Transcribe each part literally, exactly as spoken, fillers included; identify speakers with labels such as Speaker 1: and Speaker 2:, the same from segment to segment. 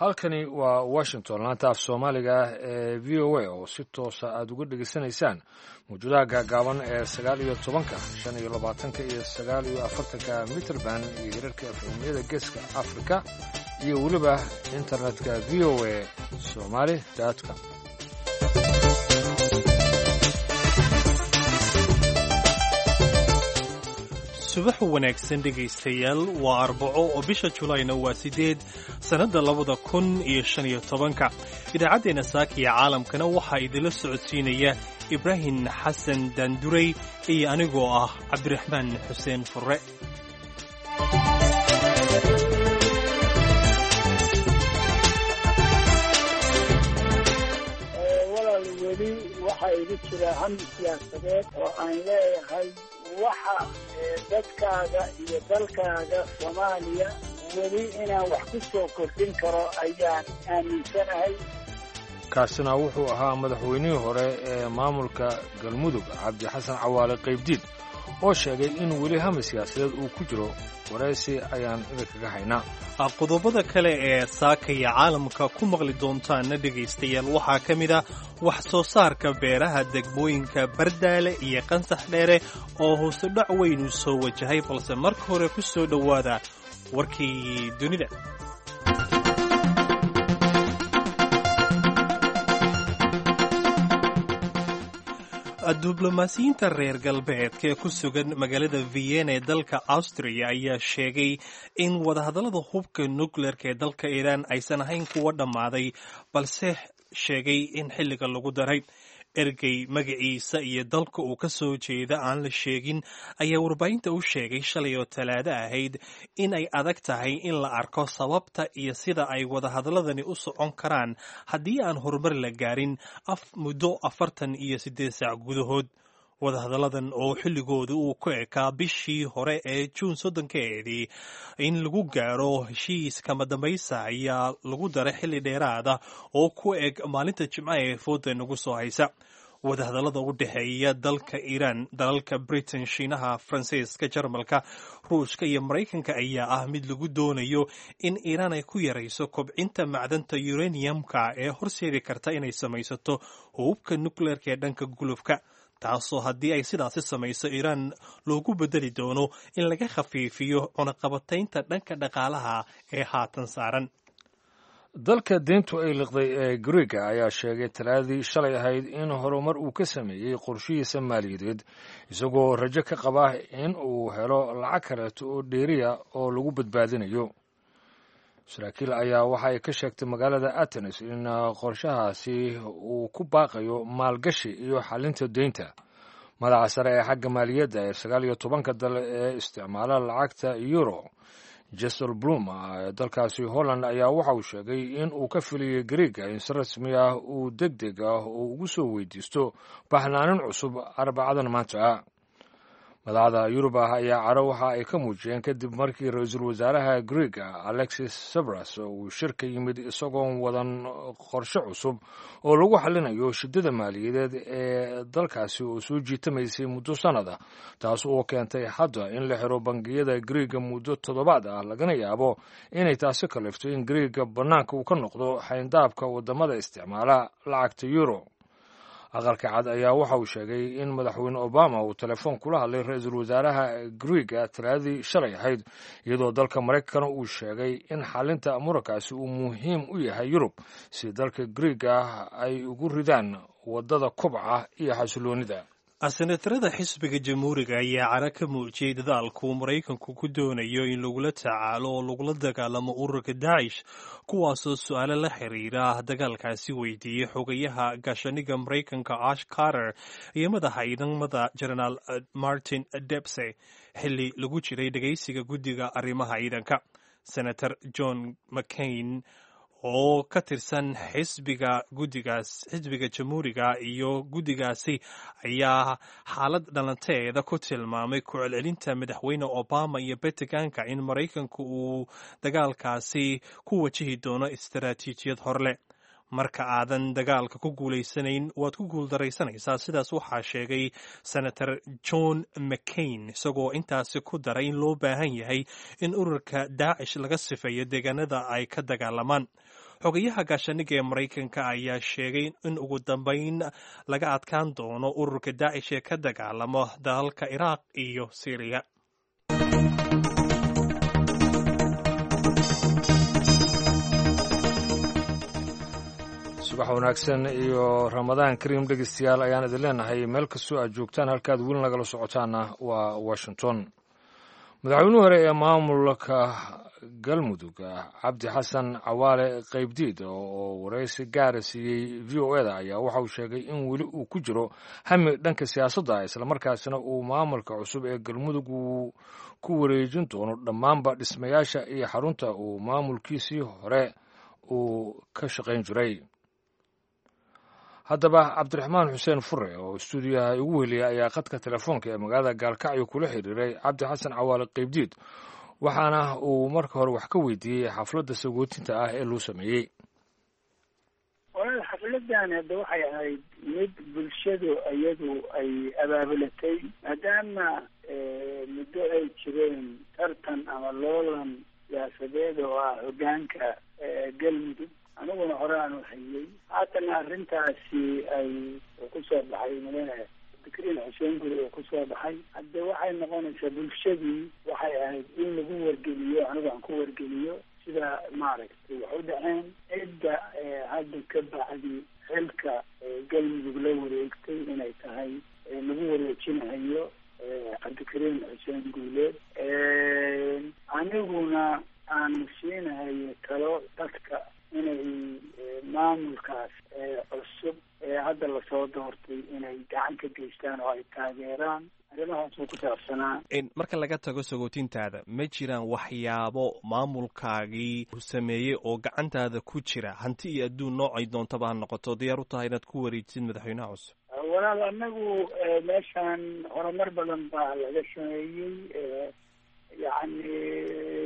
Speaker 1: Halkani waa Washington, laanta af Soomaaliga ah ee V O A oo si toosa aad uga dhegaysanaysaan mawjadaha gaagaaban ee sagaal iyo tobanka, shan iyo labaatanka iyo sagaal iyo afartanka mitrband iyo hirarka F M-yada Geeska Afrika iyo weliba internetka V O A Somali com.
Speaker 2: Subax wanaagsan, dhegaystayaal. Waa Arbaco oo bisha Julayna waa sideed, sannadda labada kun iyo shan iyo tobanka. Idaacaddeenna saaka iyo caalamkana waxaa idinla socodsiinaya Ibraahim Xasan Daandurey iyo anigoo ah Cabdiraxmaan Xuseen Furre.
Speaker 3: Walaal, weli waxaa igu jira hami siyaasadeed oo aan leeyahay waxa dadkaaga iyo dalkaaga Soomaaliya weli inaan wax ku soo kordhin karo ayaan aaminsanahay.
Speaker 1: Kaasina wuxuu ahaa madaxweynihii hore ee maamulka Galmudug, Cabdi Xasan Cawaale Qaybdiid, oo sheegay in weli hami siyaasadeed uu ku jiro. Waraysi ayaan idinkaga haynaa.
Speaker 2: Qodobada kale ee saakaya caalamka ku maqli doontaana, dhegaystayaal, waxaa ka mid ah wax soo saarka beeraha degmooyinka Bardaale iyo Qansax Dheere oo hoose dhac weynu soo wajahay, balse marka hore ku soo dhowaada warkii dunida. Diblomaasiyiinta reer galbeedka ee ku sugan magaalada Vienna ee dalka Austria ayaa sheegay in wadahadallada hubka nukleerka ee dalka Iiraan aysan ahayn kuwa dhammaaday, balse sheegay in xilliga lagu daray. Ergey magaciisa iyo dalka uu ka soo jeeda aan la sheegin ayaa warbaahinta u sheegay shalay oo Talaado ahayd in ay adag tahay in la arko sababta iyo sida ay wadahadalladani u socon karaan haddii aan horumar la gaarin muddo afartan iyo siddeed saac gudahood. Wadahadalladan oo xilligooda uu ku ekaa bishii hore ee Juun soddonkeedii in lagu gaaro heshiis kama dambaysa ayaa lagu daray xilli dheeraada oo ku eg maalinta Jimcaha ee fooda nagu soo haysa. Wadahadallada u dhexeeya dalka Iiraan, dalalka Britain, Shiinaha, Faransiiska, Jarmalka, Ruushka iyo Maraykanka ayaa ah mid lagu doonayo in Iiraan ay ku yarayso kobcinta macdanta uraniumka ee horseedi karta inay samaysato hubka nukleerka ee dhanka gulufka, taasoo haddii ay sidaasi samayso Iiraan loogu bedeli doono in laga khafiifiyo cunaqabataynta dhanka dhaqaalaha ee haatan saaran.
Speaker 1: Dalka deyntu ay liqday ee Griega ayaa sheegay Talaadii shalay ahayd in horumar uu ka sameeyey qorshihiisa maaliyadeed, isagoo rajo ka qaba in uu helo lacag kaleeto oo dheeriya oo lagu badbaadinayo. Saraakiil ayaa waxa ay ka sheegtay magaalada Atenes in qorshahaasi uu ku baaqayo maalgashi iyo xalinta deynta. Madaxa sare ee xagga maaliyadda ee sagaal iyo tobanka dal ee isticmaala lacagta euro, Dijsselbloem ee dalkaasi Holland, ayaa waxa uu sheegay in uu ka filiyey Griega in si rasmi ah uu deg deg ah uu ugu soo weydiisto baxnaanin cusub Arbacadan maanta ah. Madaxda Yurub ah ayaa caro waxa ay ka muujiyeen kadib markii ra-iisul wasaaraha Griega, Alexis Tsipras, uu shir ka yimid isagoon wadan qorshe cusub oo lagu xalinayo shidada maaliyadeed ee dalkaasi oo soo jiitamaysay muddo sannada, taas oo keentay hadda in la xiro bangiyada Griega muddo toddobaad ah, lagana yaabo inay taasi kalifto in Griega bannaanka uu ka noqdo xayndaabka waddamada isticmaala lacagta euro. Aqalka Cad ayaa waxa uu sheegay in Madaxweyne Obama uu telefoon kula hadlay ra-iisul wasaaraha Griega Talaadii shalay ahayd, iyadoo dalka Maraykankana uu sheegay in xalinta murankaasi uu muhiim u yahay Yurub si dalka Griega ay ugu ridaan waddada kobca iyo xasiloonida.
Speaker 2: Senatarada xisbiga Jamhuuriga ayaa cara ka muujiyey dadaalku Maraykanku ku doonayo in lagula tacaalo oo lagula dagaalamo ururka Daacish, kuwaasoo su-aalo la xiriira dagaalkaasi weydiiyey xogayaha gaashaniga Maraykanka Ash Carter iyo madaxa ciidamada Jenaraal Martin Dempsey xilli lagu jiray dhegaysiga guddiga arrimaha ciidanka. Senator John McCain oo ka tirsan xisbiga guddigaas, xisbiga Jamhuuriga iyo guddigaasi, ayaa xaalad dhalanteeda ku tilmaamay ku celcelinta Madaxweyne Obama iyo Pentagonka in Maraykanku uu dagaalkaasi ku wajihi doono istaraatiijiyad horleh. "Marka aadan dagaalka ku guulaysanayn, waad ku guuldaraysanaysaa," sidaas waxaa sheegay Senator John McCain, isagoo intaasi ku daray in loo baahan yahay in ururka Daacish laga sifeeyo deegaanada ay ka dagaalamaan. Xogayaha gaashaaniga ee Maraykanka ayaa sheegay in ugu dambayn laga adkaan doono ururka Daacish ee ka dagaalamo dalalka Iraaq iyo Siiriya.
Speaker 1: Subax wanaagsan iyo Ramadaan kariim, dhegeystayaal, ayaan idin leenahay meel kastoo aad joogtaan. Halkaad weli nagala socotaanna waa Washington. Madaxweynuhu hore ee maamulka Galmudug, Cabdi Xasan Cawaale Qaybdiid, oo waraysi gaara siiyey V O E da, ayaa waxa uu sheegay in weli uu ku jiro hami dhanka siyaasadda, islamarkaasina uu maamulka cusub ee Galmudug uu ku wareejin doono dhammaanba dhismayaasha iyo xarunta uu maamulkiisii hore uu ka shaqayn jiray. Haddaba Cabdiraxmaan Xuseen Fure oo istuudiyaha igu weliya ayaa khadka telefoonka ee magaalada Gaalkacyo kula xiriiray Cabdi Xasan Cawaale Qaybdiid, waxaana uu marka hore wax ka weydiiyey xafladda sagootinta ah ee loo sameeyey.
Speaker 3: Walaal, xafladan hadda waxay ahayd mid bulshadu iyadu ay abaabulatay, maadaama muddo ay jireen tartan ama loolan siyaasadeed oo ah hoggaanka Galmudug. Aniguna hore aan u hayay, haatana arrintaasi ay kusoo baxay mudane Cabdikariin Xuseen Guri oo kusoo baxay. Hadde waxay noqonaysaa bulshadii waxay ahayd in lagu wargeliyo, anigu aan ku wargeliyo sida maaragtay wax u dhaceen, cidda hadda ka bacdi xilka Galmudug la wareegtay inay tahay lagu wareejinahayo Cabdikariin Xuseen Guuleed, aniguna aan siinahayo talo dadka inay maamulkaas cusub ee hadda lasoo doortay inay gacan ka geystaan oo ay taageeraan. Arrimahaasuu ku saabsanaa.
Speaker 2: Marka laga tago sagootintaada, ma jiraan waxyaabo maamulkaagii sameeyey oo gacantaada ku jira, hanti iyo adduun noocay doontaba ha noqoto, diyaar u tahay inaad ku wareejisid madaxweynaha cusub?
Speaker 3: Walaal, anagu meeshaan horumar badan baa laga sameeyey, yacni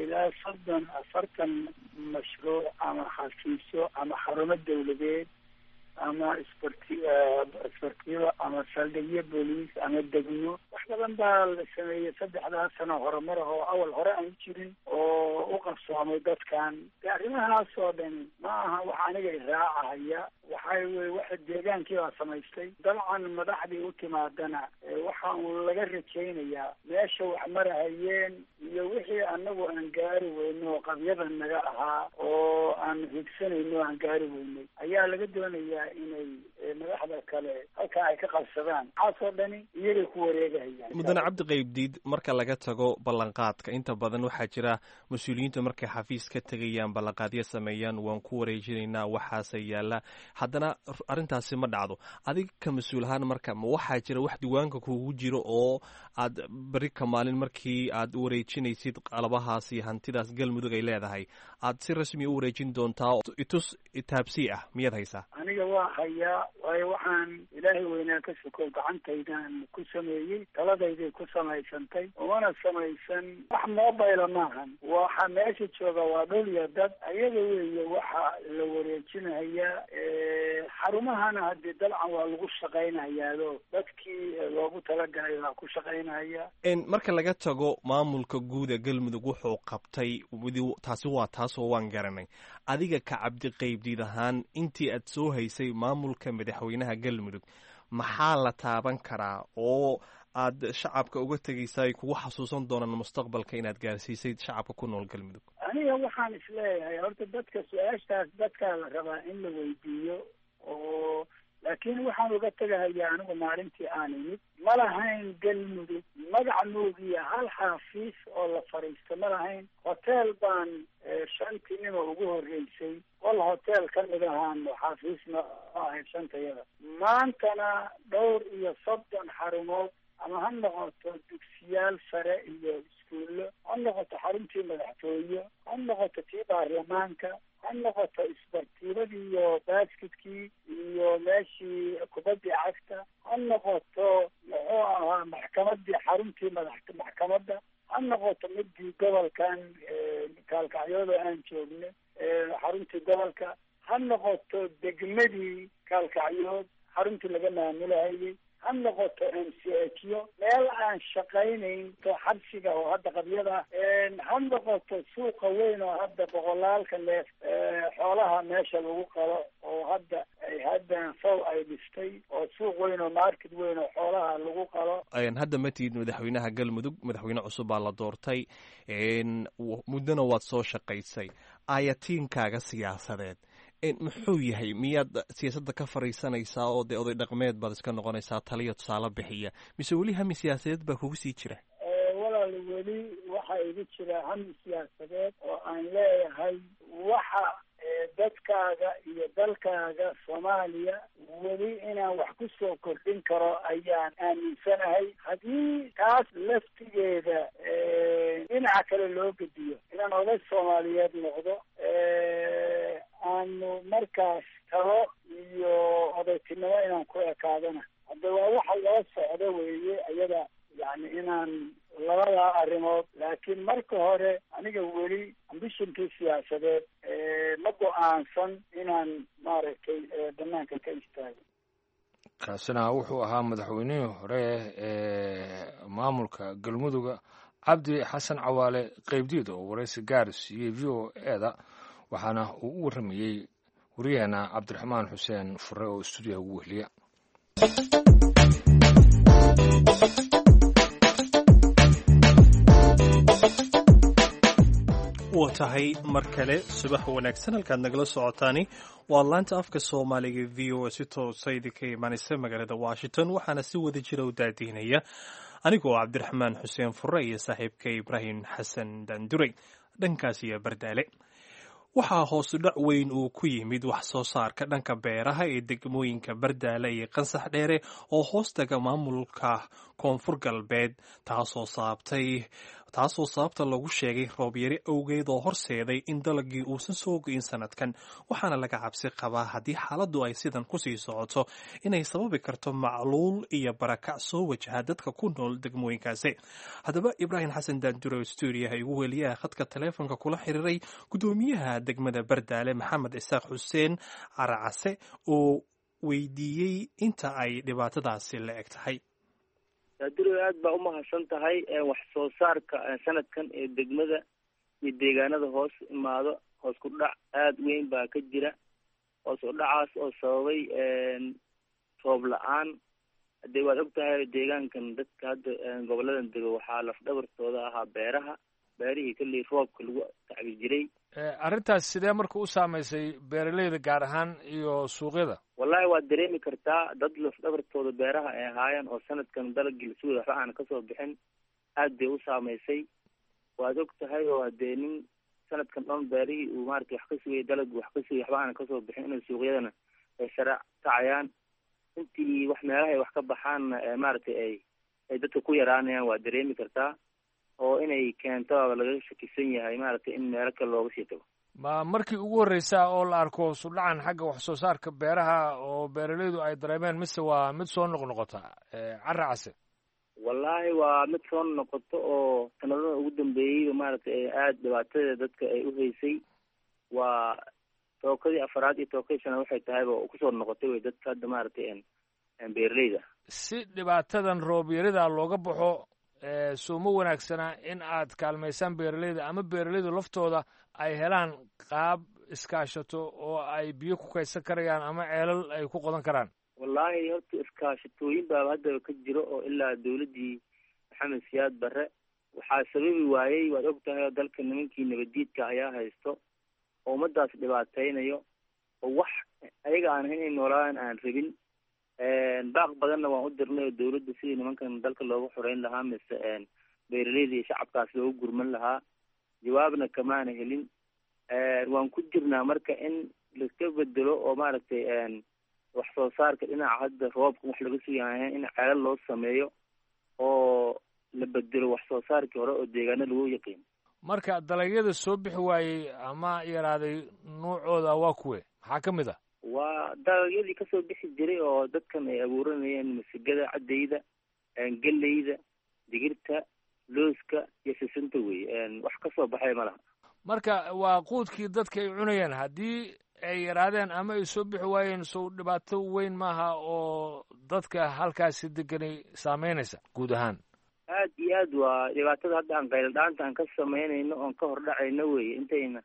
Speaker 3: ilaa soddon afartan mashruuc ama xafiisyo ama xarumo dawladeed ama isbarti isbartiyo ama saldhigyo booliis ama degmo, wax badan baa la sameeyey saddexdaas sano horumar ah oo awal hore aan jirin oo u qabsoomay dadkan. De arrimahaas oo dhan ma aha wax aniga iraacahaya, waxay wey waxa deegaankii baa samaystay. Dabcan madaxdii u timaadana waxa uun laga rajaynayaa meesha wax marahayeen iyo wixii anagu aan gaari weyno oo qabyada naga ahaa oo aan higsanayno aan gaari weynay ayaa laga doonayaa inay madaxda kale halkaa ay ka qabsadaan. Waxaasoo dhani iyagay ku wareegahayaan.
Speaker 2: Mudane Cabdi Qaybdiid, marka laga tago ballanqaadka, inta badan waxaa jira mas-uuliyiintu markay xafiis ka tegayaan ballanqaadyo sameeyaan, waan ku wareejinaynaa waxaase yaalla, haddana arrintaasi ma dhacdo. Adiga ka mas-uul ahaan marka, ma waxaa jira wax diiwaanka kuugu jiro oo aad beri ka maalin markii aad wareejinaysid qalabahaas iyo hantidaas Galmudug ay leedahay aad si rasmi u wareejin doontaa? Itus itaabsii ah miyaad haysaa?
Speaker 3: Aniga waa hayaa, waayo waxaan Ilaahay weynaa ka sokow gacantaydan ku sameeyey, taladayday ku samaysantay, umana samaysan wax mobile maahan. Waxa meesha jooga waa dhul iyo dad, ayaga weeye waxa la wareejinayaa. Xarumahana haddii dabcan waa lagu shaqaynayaado dadkii loogu talagalay baa ku shaqaynaya.
Speaker 2: Marka laga tago maamulka guud ee Galmudug wuxuu qabtay, taasi waa taasoo waan garanay. Adiga ka Cabdi Qaybdiid ahaan, intii aad soo haysay maamulka madaxweynaha Galmudug, maxaa la taaban karaa oo aad shacabka uga tegaysa ay kugu xasuusan doonaan mustaqbalka inaad gaarsiisay shacabka ku nool Galmudug?
Speaker 3: Aniga waxaan isleeyahay horta dadka su-aashaas dadkaa la rabaa in la weydiiyo, oo laakiin waxaan uga tegahayaa anigu maalintii aan imid ma lahayn Galmudug magac moogiya hal xafiis oo la fadhiisto ma lahayn. Hotel baan shantii nimo ugu horreysay qol hotel ka mid ahaan xafiisna ahayd shantayada. Maantana dhowr iyo soddon xarumood, ama ha noqoto dugsiyaal sare iyo iskuullo, ha noqoto xaruntii madaxtooye, ha noqoto tii baarlamaanka, ha noqoto isbartiibadii iyo baasketkii iyo meeshii kubaddii cagta, ha noqoto muxuu ahaa maxkamadii xaruntii madax maxkamadda, ha noqoto midii gobolkan Kaalkacyooda aan joogno xaruntii gobolka, ha noqoto degmadii Kaalkacyood xaruntii laga maamulahayay, Ha noqoto M C H yo meel aan shaqaynayn to xabsiga oo hadda qabyada, ha noqoto suuqa weyn oo hadda boqolaalka neef xoolaha meesha lagu qalo oo hadda ay haddan faw ay dhistay, oo suuq weyn oo market weyn oo xoolaha lagu qalo.
Speaker 2: Hadda ma tihid madaxweynaha Galmudug, madaxweyne cusub baa la doortay, muddona waad soo shaqaysay. Aayatiinkaaga siyaasadeed muxuu yahay? Miyaad siyaasadda ka fariisanaysaa oo dee oday dhaqmeed baad iska noqonaysaa, taliya tusaale bixiya, mise weli hami siyaasadeed baa kugu sii jira?
Speaker 3: Walaal, weli waxaa igu jira hami siyaasadeed oo aan leeyahay waxa dadkaaga iyo dalkaaga Soomaaliya weli inaan wax ku soo kordhin karo ayaan aaminsanahay. Haddii taas laftigeeda dhinaca kale loo gediyo, inaan oday Soomaaliyeed noqdo, aanu markaas talo iyo odaytinimo inaan ku ekaadana, hadda waa waxa loo socdo weeye iyada, yani inaan labadaa arrimood. Laakiin marka hore aniga weli ambitionkii siyaasadeed ma go-aansan inaan maaragtay banaanka ka istaago.
Speaker 1: Kaasina wuxuu ahaa madaxweynihii hore ee maamulka Galmuduga, Cabdi Xasan Cawaale Qaybdiid, oo waraysi gaar siiyey V O E da, waxaana uu u warramayey wariyaheena Cabdiraxmaan Xuseen Fure oo stuudiyaha ugu wehliya.
Speaker 2: Waa tahay, mar kale subax wanaagsan. Halkaad nagala socotaani waa laanta afka Soomaaliga V O A, si toosa idinka imaanaysa magaalada Washington. Waxaana si wada jira u daadihinaya anigoo Cabdiraxmaan Xuseen Fure iyo saaxiibka Ibraahim Xasan Dandurey. Dhankaas iyo Bardaale, waxaa hoosu dhac weyn uu ku yimid wax soo saarka dhanka beeraha ee degmooyinka Bardaale iyo Qansax Dheere oo hoostaga maamulka Koonfur Galbeed, taasoo saabtay taasoo sababta lagu sheegay roobyari awgeed oo horseeday in dalagii uusan soo go'in sanadkan. Waxaana laga cabsi qabaa haddii xaaladdu ay sidan kusii socoto inay sababi karto macluul iyo barakac soo wajaha dadka ku nool degmooyinkaasi. Haddaba Ibraahim Xasan Daandure, stuudiyaha igu weliyaha, khadka taleefonka kula xiriiray gudoomiyaha degmada Bardaale, Maxamed Isaaq Xuseen Caracase, oo weydiiyey inta ay dhibaatadaasi la eg tahay.
Speaker 4: Daadiro, aad baa umahadsan tahay. Wax soo saarka sanadkan ee degmada iyo deegaanada hoos imaado hoos ku dhac aada weyn baa ka jira, hoos u dhacaas oo sababay roob la-aan. Hadee waad og tahay, deegaankan dadka hadda goboladan dego waxaa lafdhabartooda ahaa beeraha, beerihii kalley roobka lagu tacbi jiray.
Speaker 1: Arrintaas sidee marka u saameysay beeraleyda gaar ahaan iyo suuqyada?
Speaker 4: Wallahi waad dareemi kartaa, dad lafdhabartooda beeraha ay ahaayeen oo sanadkan dalagii lasugay waxba aan kasoo bixin, aad bay u saameysay. Waad og tahay oo hadee nin sanadkan dhan beerihii uu maaragtay wax ka sugayay, dalagii wax ka sugay, waxba aan kasoo bixin, inay suuqyadana ay sare kacayaan, intii wax meelaha ay wax ka baxaanna maaragtay ay ay dadka ku yaraanayaan, waad dareemi kartaa oo inay keento laga shakisan yahay maaragtay in meelo kale looga sii tago.
Speaker 1: Ma markii ugu horreysaa oo la arko hoosudhacan xagga wax soo saarka beeraha oo beeraleydu ay dareemeen, mise waa mid soo noqnoqota, Caracase?
Speaker 4: Wallaahi waa mid soo noqoto oo sanadada ugu dambeeyeyba maaragtay aada dhibaatadeeda dadka ay uhaysay. Waa tookadii afaraad iyo tookadii shanaad waxay tahayba kusoo noqotay wey dadka hadda maaragtay beeraleyda.
Speaker 1: Si dhibaatadan roobyarida looga baxo, soo ma wanaagsanaa in aad kaalmaysaan beeraleyda ama beeraleydu laftooda ay helaan qaab iskaashato oo ay biyo ku kaydsan karayaan ama ceelal ay ku qodan karaan?
Speaker 4: Wallaahi horta iskaashatooyin baaba haddaba ka jiro oo ilaa dawladdii Maxamed Siyaad Barre. Waxaa sababi waayey, waad og tahay oo dalka nimankii nabadiidka ayaa haysto oo ummadaas dhibaateynayo oo wax ayaga aan ahayn inay noolaadaan aan rabin. Baaq badanna waan u dirnay oo dawladda sidii nimankan dalka looga xoreyn lahaa mise beeraleyda iyo shacabkaas looga gurman lahaa, jawaabna kamaana helin. Waan ku jirnaa marka in laska bedelo oo maaragtay wax soo saarka dhinaca hadda roobka wax laga sugayahay in ceelal loo sameeyo oo la bedelo wax soo saarkii hore oo deegaano lagu yaqiin.
Speaker 1: Marka dalagyada soo bixi waayey ama yaraaday nuucooda waa kuwe? Maxaa ka mid ah?
Speaker 4: Waa dalagyadii kasoo bixi jiray oo dadkan ay abuuranayeen: masigada caddayda, geleyda, digirta, looska iyo sisinta wey. Wax kasoo baxay ma laha.
Speaker 1: Marka waa quudkii dadka ay cunayeen, haddii ay yaraadeen ama ay soo bixi waayeen, sow dhibaato weyn maaha oo dadka halkaasi deganay saameynaysa guud ahaan.
Speaker 4: Aad iyo aad waa dhibaatada hadda aan qayladhaanta aan ka samaynayno oon ka hordhacayno weye. Intayna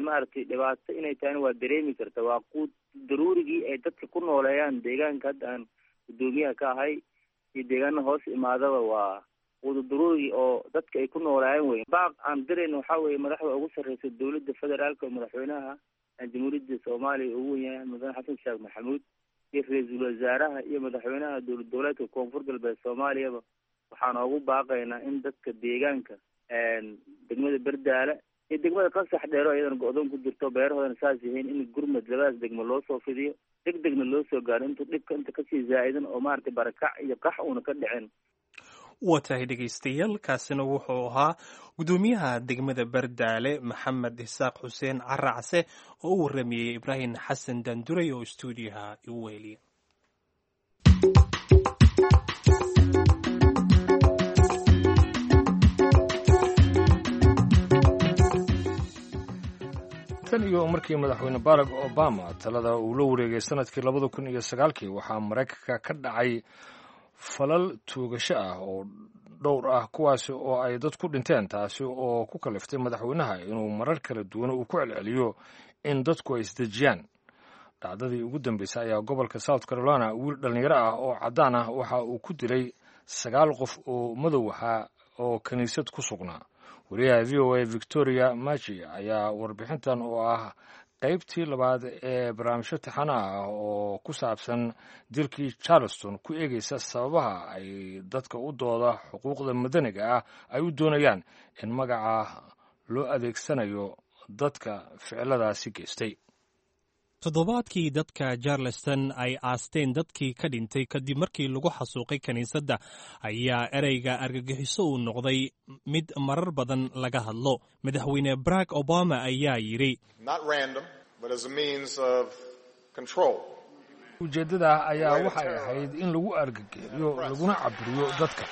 Speaker 4: maaragtay dhibaato inay tahayna waa dareemi karta. Waa quud daruurigii ay dadka ku nooleeyaan deegaanka hadda aan guddoomiyaha ka ahay iyo deegaana hoos imaadaba, waa quudu daruurigii oo dadka ay ku nooleeyaan wey. Baaq aan dirayno waxaa weeye madaxda ugu sarreysa dowladda federaalka oo madaxweynaha jamhuuriyadda Soomaaliya ugu wen yahay Mudane Xasan Sheekh Maxamuud iyo ra-iisul wasaaraha iyo madaxweynaha dowlad goboleedka Koonfur Galbeed Soomaaliyaba, waxaan oogu baaqaynaa in dadka deegaanka degmada Berdaale iyo degmada Qasax Dheero iyadana go-doon ku jirto, beerahoodana saas yihiin, in gurmad labadaas degmo loo soo fidiyo, deg degna loo soo gaaro intuu dhibka inta kasii zaa'idan oo maaragtay barakac iyo qax uuna ka dhicin.
Speaker 2: Waa tahay dhegaystayaal, kaasina wuxuu ahaa guddoomiyaha degmada Bardaale Maxamed Isaaq Xuseen Caracse oo u warramiyey Ibraahim Xasan Danduray oo istuudiyaha igu weheliya.
Speaker 1: Tan iyo markii madaxweyne Barack Obama talada uu la wareegay sanadkii labada kun iyo sagaalkii, waxaa Maraykanka ka dhacay falal tuugasho ah oo dhowr ah, kuwaasi oo ay dad ku dhinteen, taasi oo ku kaliftay madaxweynaha inuu marar kala duwan uu ku celceliyo in dadku ay isdejiyaan. Dhacdadii ugu dambeysay ayaa gobolka South Carolina wiil dhallinyaro ah oo caddaan ah waxa uu ku dilay sagaal qof oo madow ahaa oo kiniisad ku sugnaa. Wariyaha V O A Victoria Machi ayaa warbixintan oo ah qaybtii labaad ee barnaamijyo taxana ah oo ku saabsan dilkii Charleston ku eegaysa sababaha ay dadka u dooda xuquuqda madaniga ah ay u doonayaan in magaca loo adeegsanayo dadka ficiladaasi geystay.
Speaker 2: Toddobaadkii dadka Charleston ay aasteen dadkii ka dhintay kadib markii lagu xasuuqay kiniisadda ayaa ereyga argagixiso uu noqday mid marar badan laga hadlo. Madaxweyne Barack Obama ayaa yidhi:
Speaker 1: Ujeeddada ayaa waxay ahayd in lagu argagixiyo laguna caburiyo dadka.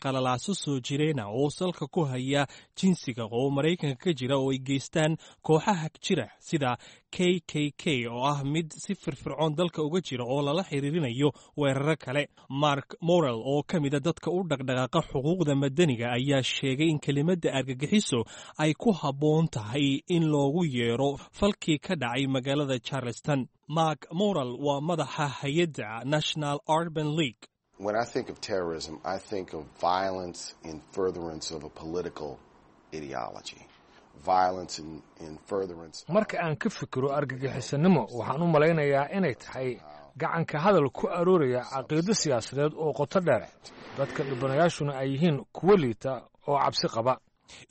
Speaker 2: Qalalaaso soo jireyna oo salka ku haya jinsiga oo Maraykanka ka jira oo ay geystaan kooxaha jira sida K K K oo ah mid si firfircoon dalka uga jira oo lala xiriirinayo weeraro kale. Mark Morel oo ka mida dadka u dhaqdhaqaaqa xuquuqda madaniga ayaa sheegay in kelimadda argagixiso ay ku habboon tahay in loogu yeero falkii ka dhacay magaalada Charleston. Mark Morel waa madaxa hay-adda National Urban League.
Speaker 5: When I think of terrorism, I think of violence in furtherance of a political ideology. Violence in, in furtherance.
Speaker 1: Marka aan ka fikiro argagixisanimo, waxaan u malaynayaa inay tahay gacanka hadal ku arooraya caqiido siyaasadeed oo qoto dheer, dadka dhibanayaashuna ay yihiin kuwo liita oo cabsi qaba.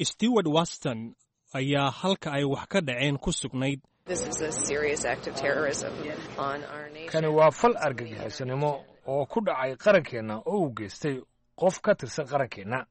Speaker 2: Stewart Waston ayaa halka ay wax ka dhaceen ku sugnayd.
Speaker 1: Kani waa fal argagixisanimo oo ku dhacay qarankeenna oo uu geystay qof ka tirsan qarankeenna.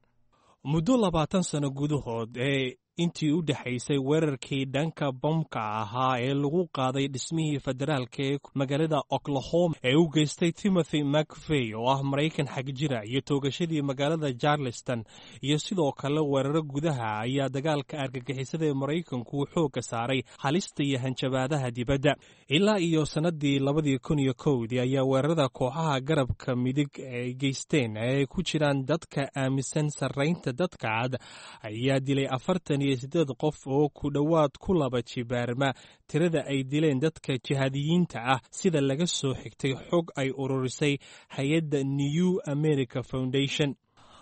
Speaker 2: Muddo labaatan sano gudahood ee intii u dhexaysay weerarkii dhanka bamka ahaa ee lagu qaaday dhismihii federaalka ee magaalada Oklahoma ee u geystay Timothy McVeigh oo ah Maraykan xag jira iyo toogashadii magaalada Charleston iyo sidoo kale weeraro gudaha, ayaa dagaalka argagixisada ee Maraykanku xoogga saaray halista iyo hanjabaadaha dibadda. Ilaa iyo sannadii labadii kun iyo kowdii ayaa weerarada kooxaha garabka midig ay geysteen ee ay ku jiraan dadka aaminsan sarraynta dadka cad ayaa dilay afartan iyo sideed qof oo ku dhowaad ku laba jibaarma tirada ay dileen dadka jihaadiyiinta ah, sida laga soo xigtay xog ay ururisay hay-adda New America Foundation.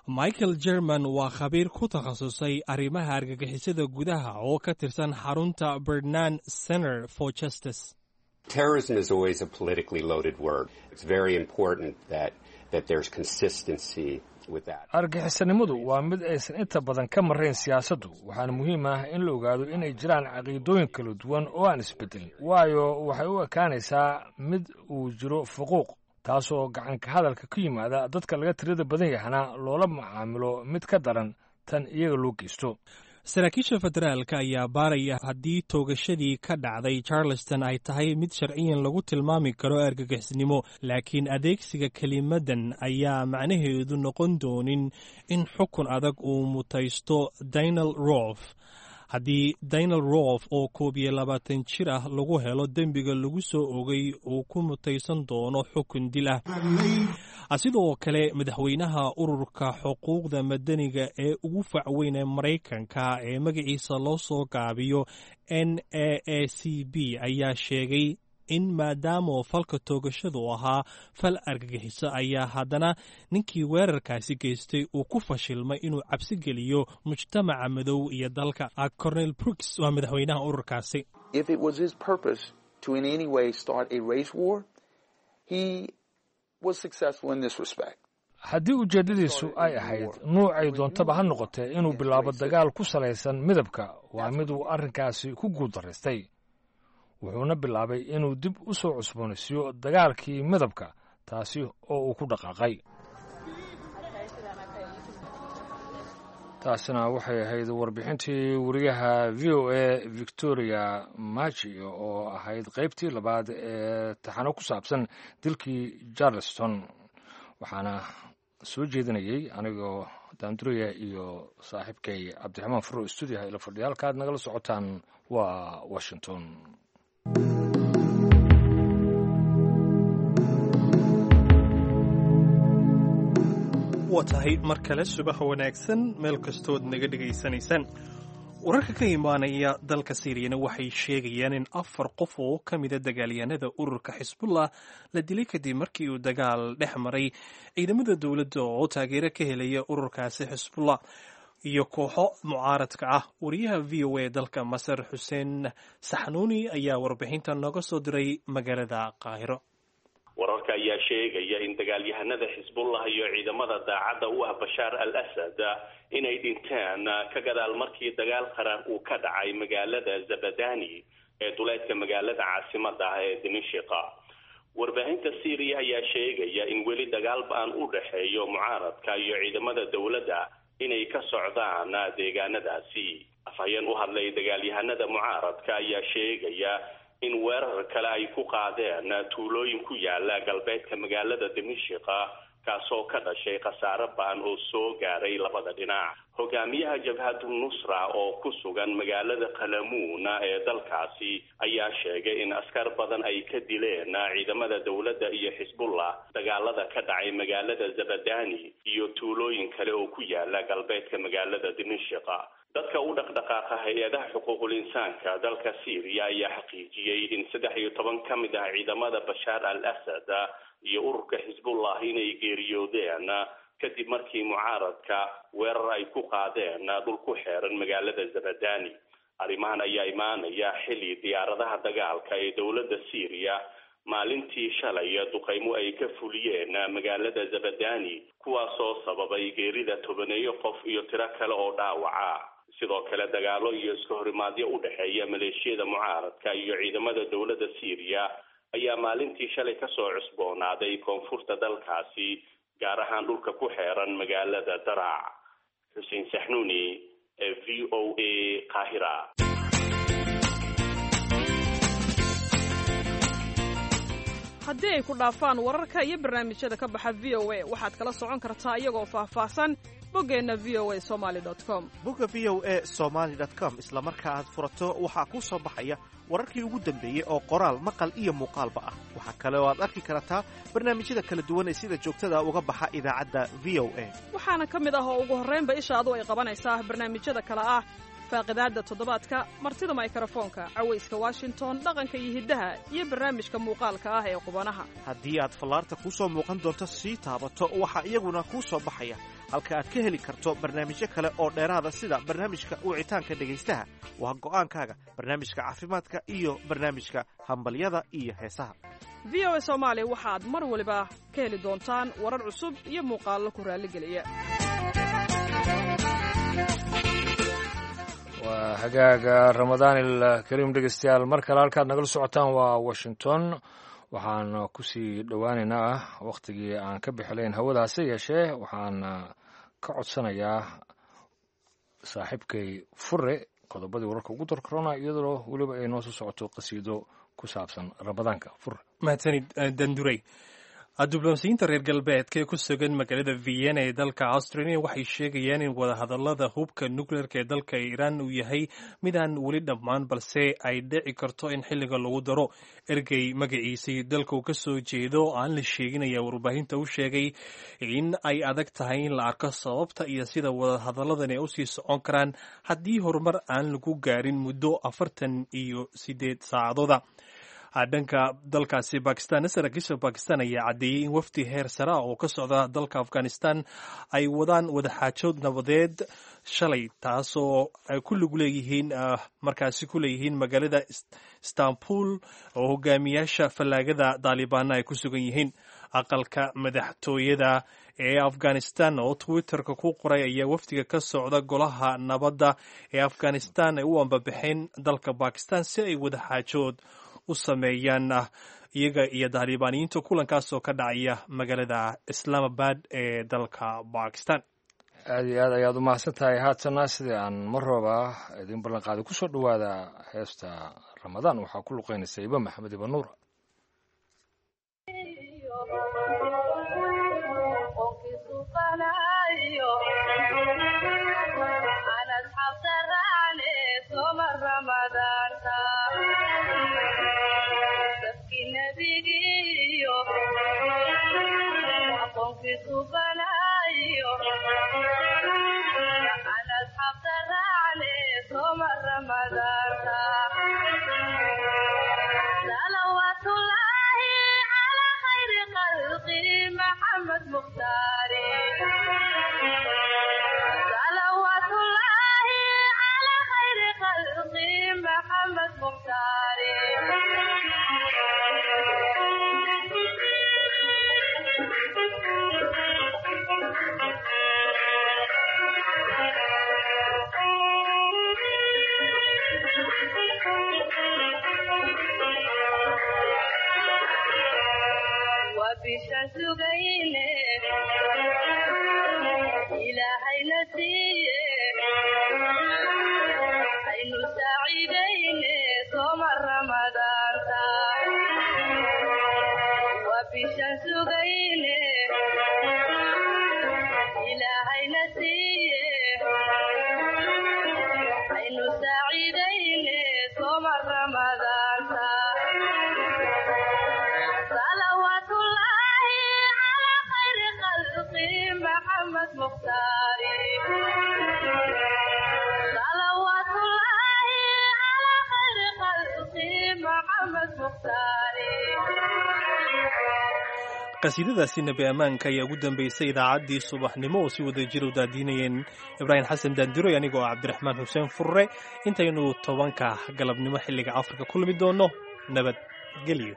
Speaker 2: Michael German waa khabiir ku takhasusay arrimaha argagixisada gudaha oo ka tirsan xarunta Bernard Center for Justice.
Speaker 6: Terrorism is always a politically loaded word. It's very important that, that there's consistency with that.
Speaker 1: Argagixisanimadu waa mid aysan inta badan ka marayn siyaasaddu, waxaana muhiim ah in la ogaado inay jiraan caqiidooyin kala duwan oo aan isbedelin, waayo waxay u ekaanaysaa mid uu jiro fuquuq, taasoo gacanka hadalka ku yimaada dadka laga tirada badan yahana loola macaamilo mid ka daran tan iyaga loo geysto.
Speaker 2: Saraakiisha federaalka ayaa baaraya haddii toogashadii ka dhacday Charleston ay tahay mid sharciyan lagu tilmaami karo argagixisnimo, laakiin adeegsiga kelimadan ayaa macnaheedu noqon doonin in xukun adag uu mutaysto Daniel Rof. Haddii Daniel Rof oo koob iyo labaatan jir ah lagu helo dembiga lagu soo ogay, uu ku mutaysan doono xukun dil ah. Sidoo kale madaxweynaha ururka xuquuqda madaniga ee ugu facweyn ee Maraykanka ee magaciisa loo soo gaabiyo N A A C B ayaa sheegay in maadaama falka toogashadu ahaa fal argagixiso, ayaa haddana ninkii weerarkaasi geystay uu ku fashilmay inuu cabsi geliyo mujtamaca madow iyo dalka. Cornel Brooks waa madaxweynaha ururkaasi.
Speaker 7: If it was his purpose to in any way start a race war, he was successful in this respect.
Speaker 1: Haddii ujeeddadiisu ay ahayd nuucay doontaba ha noqotee inuu bilaabo dagaal ku salaysan midabka, waa mid uu arrinkaasi ku guuldaraystay, wuxuuna bilaabay inuu dib u soo cusboonaysiiyo dagaalkii midabka, taasi oo uu ku dhaqaaqay. Taasina waxay ahayd warbixintii wariyaha V O A Victoria Maji oo ahayd qaybtii labaad ee taxano ku saabsan dilkii Charleston, waxaana soo jeedinayey anigoo Daanduraya iyo saaxiibkay Cabdiraxmaan Furo stuudiyaha ila fadhiya. Halkaad nagala socotaan waa Washington.
Speaker 2: Waa tahay, mar kale subax wanaagsan meel kastood naga dhegaysanaysaan. Wararka ka imaanaya dalka Siiriyana waxay sheegayaan in afar qof oo ka mida dagaalyahanada ururka Xisbullah la dilay kadib markii uu dagaal dhex maray ciidamada dowladda oo taageero ka helaya ururkaasi Xisbullah iyo kooxo mucaaradka ah. Wariyaha V O A dalka Masar, Xuseen Saxnuuni, ayaa warbixinta nooga soo diray magaalada Qaahiro.
Speaker 8: Wararka ayaa sheegaya in dagaalyahanada Xisbullah iyo ciidamada daacadda u ah Bashaar al Asad inay dhinteen ka gadaal markii dagaal qaraar uu ka dhacay magaalada Zabadani ee duleedka magaalada caasimada ah ee Dimishiqa. Warbaahinta Syria ayaa sheegaya in weli dagaal ba'an u dhexeeyo mucaaradka iyo ciidamada dowladda inay ka socdaan deegaanadaasi. Afhayeen u hadlay dagaalyahanada mucaaradka ayaa sheegaya in weerar kale ay ku qaadeen tuulooyin ku yaala galbeedka magaalada Dimishiqa, kaasoo ka dhashay khasaare ba'an oo soo gaaray labada dhinac. Hogaamiyaha Jabhatu Nusra oo ku sugan magaalada Qalamuuna ee dalkaasi ayaa sheegay in askar badan ay ka dileen ciidamada dowladda iyo Xisbullah dagaalada ka dhacay magaalada Zabadani iyo tuulooyin kale oo ku yaala galbeedka magaalada Dimishiqa. Dadka u dhaqdhaqaaqa hay-adaha xuquuqul insaanka dalka Syria ayaa xaqiijiyey in saddex iyo toban ka mid ah ciidamada Bashaar al Asad iyo ururka Xisbullah inay geeriyoodeen kadib markii mucaaradka weerar ay ku qaadeen dhul ku xeeran magaalada Zabadani. Arrimahan ayaa imaanaya xilli diyaaradaha dagaalka ee dowladda Syria maalintii shalay duqeymo ay ka fuliyeen magaalada Zabadani, kuwaasoo sababay geerida tobaneeyo qof iyo tiro kale oo dhaawaca. Sidoo kale dagaalo iyo iska horimaadyo u dhexeeya maleeshiyada mucaaradka iyo ciidamada dowladda Syria ayaa maalintii shalay kasoo cusboonaaday koonfurta dalkaasi, gaar ahaan dhulka ku xeeran magaalada Daraac. Xuseen Saxnuuni, V O A, Qaahira.
Speaker 9: Haddii ay ku dhaafaan wararka iyo barnaamijyada ka baxa V O A, waxaad kala socon kartaa iyagoo faahfaahsan boggeenna V O A Somali com.
Speaker 10: Bogga V O A Somaly com isla marka aad furato waxaa kuu soo baxaya wararkii ugu dambeeyey oo qoraal, maqal iyo muuqaalba ah. Waxaa kale oo aad arki kartaa barnaamijyada kala duwan ee sida joogtada uga baxa idaacadda V O A.
Speaker 9: Waxaana ka mid ah oo ugu horraynba ishaadu ay qabanaysaa barnaamijyada kale ah faaqidaadda toddobaadka, martida maykarafoonka, cawayska Washington, dhaqanka iyo hiddaha, iyo barnaamijka muuqaalka ah ee qubanaha.
Speaker 10: Haddii aad fallaarta kuu soo muuqan doonto sii taabato, waxaa iyaguna kuu soo baxaya halka aad ka heli karto barnaamijyo kale oo dheeraada, sida barnaamijka wicitaanka dhegaystaha, waa go'aankaaga, barnaamijka caafimaadka iyo barnaamijka hambalyada iyo heesaha.
Speaker 9: V O A Soomaali waxaad mar waliba ka heli doontaan warar cusub iyo muuqaallo ku raalligeliya.
Speaker 1: Waa hagaaga, Ramadaanil Kariim dhegeystayaal. Mar kale halkaad nagala socotaan waa Washington. Waxaan kusii dhowaaneynaa wakhtigii aan ka bixilayn hawada, hase yeeshee waxaan ka codsanayaa saaxiibkay Fure qodobadii wararka ugu darkarona, iyadoo weliba ay noo soo socoto qasiido ku saabsan Ramadaanka. Fure.
Speaker 2: Mahadsanid, Dandurey. Diblomaasiyiinta reer galbeedka ee ku sugan magaalada Vienna ee dalka Australia waxay sheegayaan in wadahadalada hubka nukleerka ee dalka Iiraan uu yahay mid aan weli dhammaan, balse ay dhici karto in xilliga lagu daro. Ergey magaciisii dalka uu ka soo jeedo aan la sheegin ayaa warbaahinta u sheegay in ay adag tahay in la arko sababta iyo sida wadahadaladani ay usii socon karaan haddii horumar aan lagu gaarin muddo afartan iyo sideed saacadooda. Dhanka dalkaasi Bakistan, saraakiisha Bakistan ayaa caddeeyey in wafdi heer sare ah oo ka socda dalka Afghanistan ay wadaan wadaxaajood nabadeed shalay, taasoo ay ku lug leeyihiin markaasi ku leeyihiin magaalada Istanbul oo hogaamiyaasha fallaagada Daalibaana ay ku sugan yihiin. Aqalka madaxtooyada ee Afghanistan oo Twitterka ku qoray ayaa wafdiga ka socda golaha nabadda ee Afghanistan ay u ambabaxeen dalka Bakistan si ay wadaxaajood u sameeyaan iyaga iyo Daalibaaniyiinta, kulankaas oo ka dhacaya magaalada Islamabad ee dalka Bakistan.
Speaker 1: Aad iyo aad ayaad u mahadsan tahay. Haatana sidii aan mar rooba idiin ballanqaaday, kusoo dhowaada heesta Ramadaan. Waxaa ku luqeynaysa Iba Maxamed Iba Nuur.
Speaker 2: Qasiidadaasi Nebi Ammaanka ayaa ugu dambeysay idaacaddii subaxnimo oo si wada jir u daadiinayeen Ibraahim Xasan Daandiroy, anigoo ah Cabdiraxmaan Xuseen Furre. Intaynu tobanka galabnimo xilliga Afrika kulmi doono, nabadgelyo.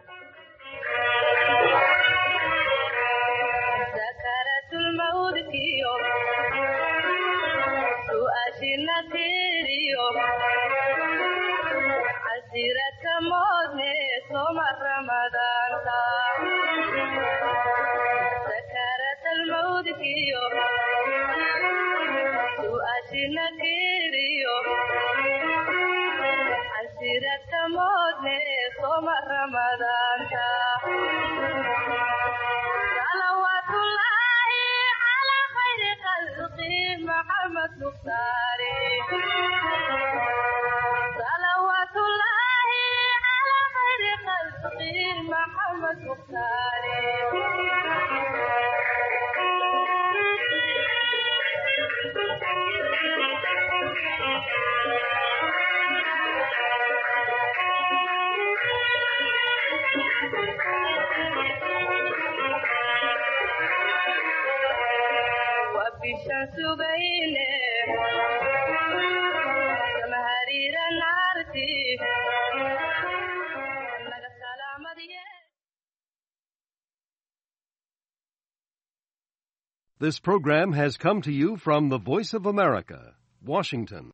Speaker 11: This program has come to you from the Voice of America, Washington.